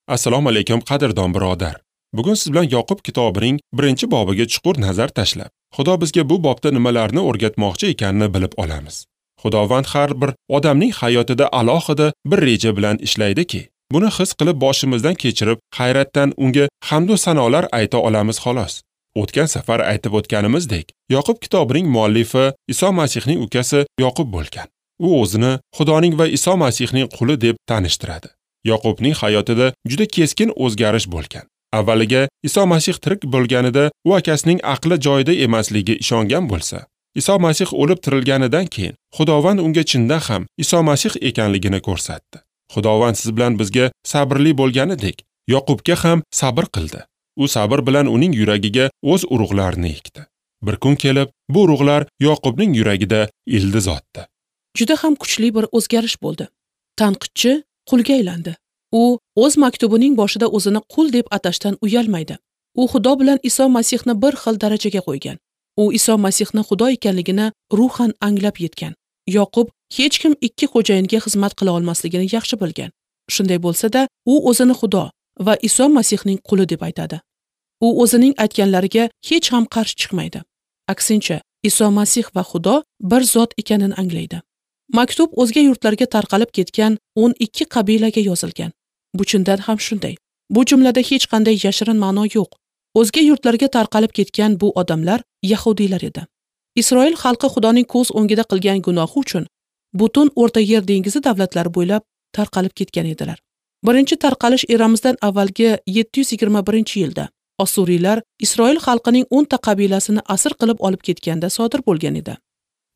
Assalomu alaykum qadrdon birodar. Bugun siz bilan Yoqub kitobining 1-bobiga chuqur nazar tashlab, Xudo bizga bu bobda nimalarni o'rgatmoqchi ekanini bilib olamiz. Xudovand har bir odamning hayotida alohida bir reja bilan ishlaydiki, buni his qilib boshimizdan kechirib, hayratdan unga hamd va sanolar ayta olamiz xolos. O'tgan safar aytib o'tganimizdek, Yoqub kitobining muallifi Iso Masihning ukasi Yoqub bo'lgan. U o'zini Xudoning va Iso Masihning quli deb tanishtiradi. Yoqubning hayotida juda keskin o'zgarish bo'lgan. Avvaliga Iso Masih tirik bo'lganida u akasining aqli joyida emasligiga ishongan bo'lsa, Iso Masih o'lib tirilganidan keyin Xudovand unga chindan ham Iso Masih ekanligini ko'rsatdi. Xudovand siz bilan bizga sabrli bo'lganidek, Yoqubga ham sabr qildi. U sabr bilan uning yuragiga o'z urug'larini ekdi. Bir kun kelib, bu urug'lar Yoqubning yuragida ildiz otdi. Juda ham kuchli bir o'zgarish bo'ldi. Tanqidchi qulga aylandi. U o'z maktubining boshida o'zini qul deb atashdan uyalmaydi. U Xudo bilan Iso Masihni bir xil darajaga qo'ygan. U Iso Masihni Xudo ekanligini ruhan anglab yetgan. Yoqub hech kim ikki xo'jayinga xizmat qila olmasligini yaxshi bilgan. Shunday bo'lsa-da, u o'zini Xudo va Iso Masihning quli deb aytadi. U o'zining aytganlariga hech ham qarshi chiqmaydi. Aksincha, Iso Masih va Xudo bir zot ekanini anglaydi. Maktub o'zga yurtlarga tarqalib ketgan 12 qabilaga yozilgan. Bu chindan ham shunday. Bu jumlada hech qanday yashirin ma'no yo'q. O'zga yurtlarga tarqalib ketgan bu odamlar yahudiylar edi. Isroil xalqi Xudoning ko'z o'ngida qilgan gunohi uchun butun O'rta Yer dengizi davlatlari bo'ylab tarqalib ketgan edilar. Birinchi tarqalish eramizdan avvalgi 721-yilda Osuriylar Isroil xalqining 10 ta qabilasini asir qilib olib ketganda sodir bo'lgan edi.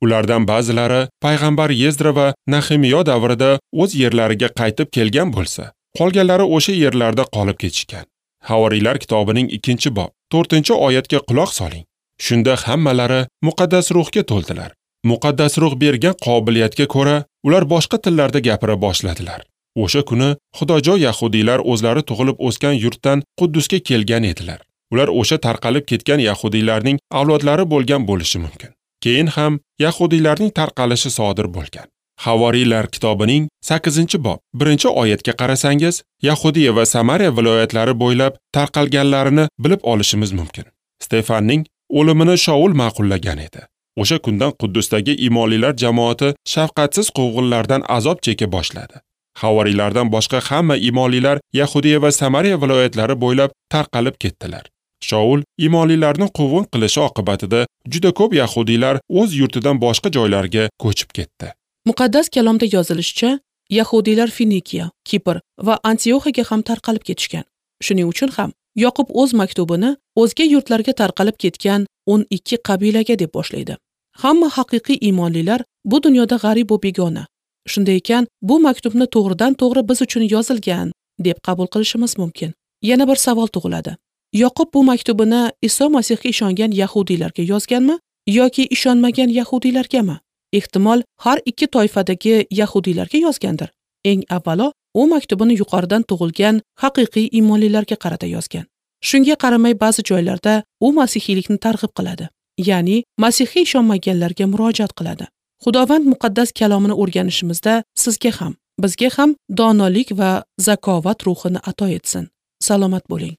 Ulardan ba'zilari payg'ambar Yezdra va Nahemiyo davrida o'z yerlariga qaytib kelgan bo'lsa, qolganlari o'sha yerlarda qolib ketishgan. Havoriylar kitobining 2-bob 4-oyatga quloq soling. Shunda hammalari muqaddas ruhga to'ldilar. Muqaddas ruh bergan qobiliyatga ko'ra ular boshqa tillarda gapira boshladilar. O'sha kuni xudojo yahudiylar o'zlari tug'ilib o'sgan yurtdan Quddusga kelgan edilar. Ular o'sha tarqalib ketgan yahudiylarning avlodlari bo'lgan bo'lishi mumkin. Keyin ham yahudiylarning tarqalishi sodir bo'lgan. Havoriylar kitobining 8-bob 1-oyatga qarasangiz, Yahudiya va Samariya viloyatlari bo'ylab tarqalganlarini bilib olishimiz mumkin. Stefanning o'limini Shaul ma'qullagan edi. O'sha kundan Quddusdagi imonlilar jamoati shafqatsiz quvg'inlardan azob cheka boshladi. Havoriylardan boshqa hamma imonlilar Yahudiya va Samariya viloyatlari bo'ylab tarqalib ketdilar. Shaul imonlilarni quvg'in qilishi oqibatida juda ko'p yahudiylar o'z yurtidan boshqa joylarga ko'chib ketdi. Muqaddas kalomda yozilishicha, yahudiylar Finikiya, Kipr va Antioxiyaga ham tarqalib ketishgan. Shuning uchun ham Yoqub o'z maktubini o'zga yurtlarga tarqalib ketgan 12 qabilaga deb boshlaydi. Hamma haqiqiy iymonlilar bu dunyoda g'arib va begona. Shunday ekan, bu maktubni to'g'ridan-to'g'ri biz uchun yozilgan deb qabul qilishimiz mumkin. Yana bir savol tug'iladi. Yoqub bu maktubini Iso Masihga ishongan yahudiylarga yozganmi yoki ishonmagan yahudiylargami? Ehtimol, har ikki toifadagi yahudiylarga yozgandir. Eng avvalo, u maktubini yuqoridan tug'ilgan haqiqiy iymonlilarga qarata yozgan. Shunga qaramay ba'zi joylarda u masihiylikni targ'ib qiladi, ya'ni masihga ishonmaganlarga murojaat qiladi. Xudovand muqaddas kalomini o'rganishimizda sizga ham, bizga ham donolik va zakovat ruhini ato etsin. Salomat bo'ling.